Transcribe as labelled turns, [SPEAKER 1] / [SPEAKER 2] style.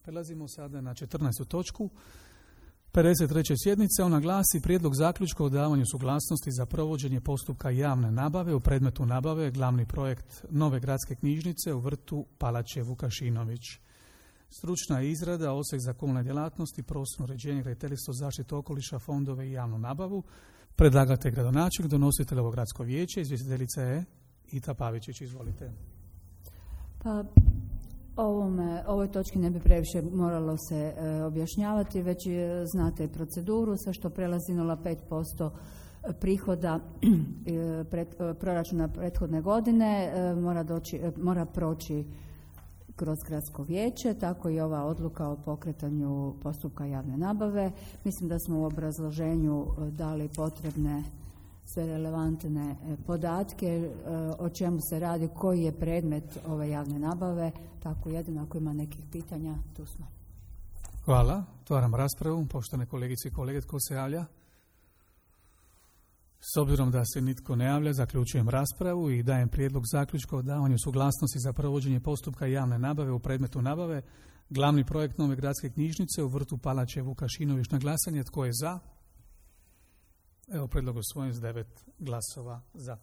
[SPEAKER 1] Prelazimo sada na 14. točku 53. sjednice. Ona glasi prijedlog zaključka o davanju suglasnosti za provođenje postupka javne nabave u predmetu nabave glavni projekt nove gradske knjižnice u vrtu Palače Vukašinović. Stručna izrada, odsjek za komunalne djelatnosti, prostorno uređenje, graditeljstvo, zaštitu okoliša, fondove i javnu nabavu. Predlagatelj gradonačelnik, donositelj ovo gradsko vijeće, izvjestiteljica je Ita Pavičić. Izvolite.
[SPEAKER 2] Pa, ovoj točki ne bi previše moralo se objašnjavati, već znate proceduru, sve što prelazi 0,5% prihoda proračuna prethodne godine mora proći kroz gradsko vijeće, tako i ova odluka o pokretanju postupka javne nabave. Mislim da smo u obrazloženju dali potrebne sve relevantne podatke o čemu se radi, koji je predmet ove javne nabave, tako jedino ako ima nekih pitanja, tu smo.
[SPEAKER 1] Hvala. Otvaram raspravu. Poštovane kolegice i kolege, tko se javlja? S obzirom da se nitko ne javlja, zaključujem raspravu i dajem prijedlog zaključka o davanju suglasnosti za provođenje postupka javne nabave u predmetu nabave glavni projekt nove gradske knjižnice u vrtu Palače Vukašinović. Na glasanje tko je za? Evo, prijedlog usvojen s 9 glasova za.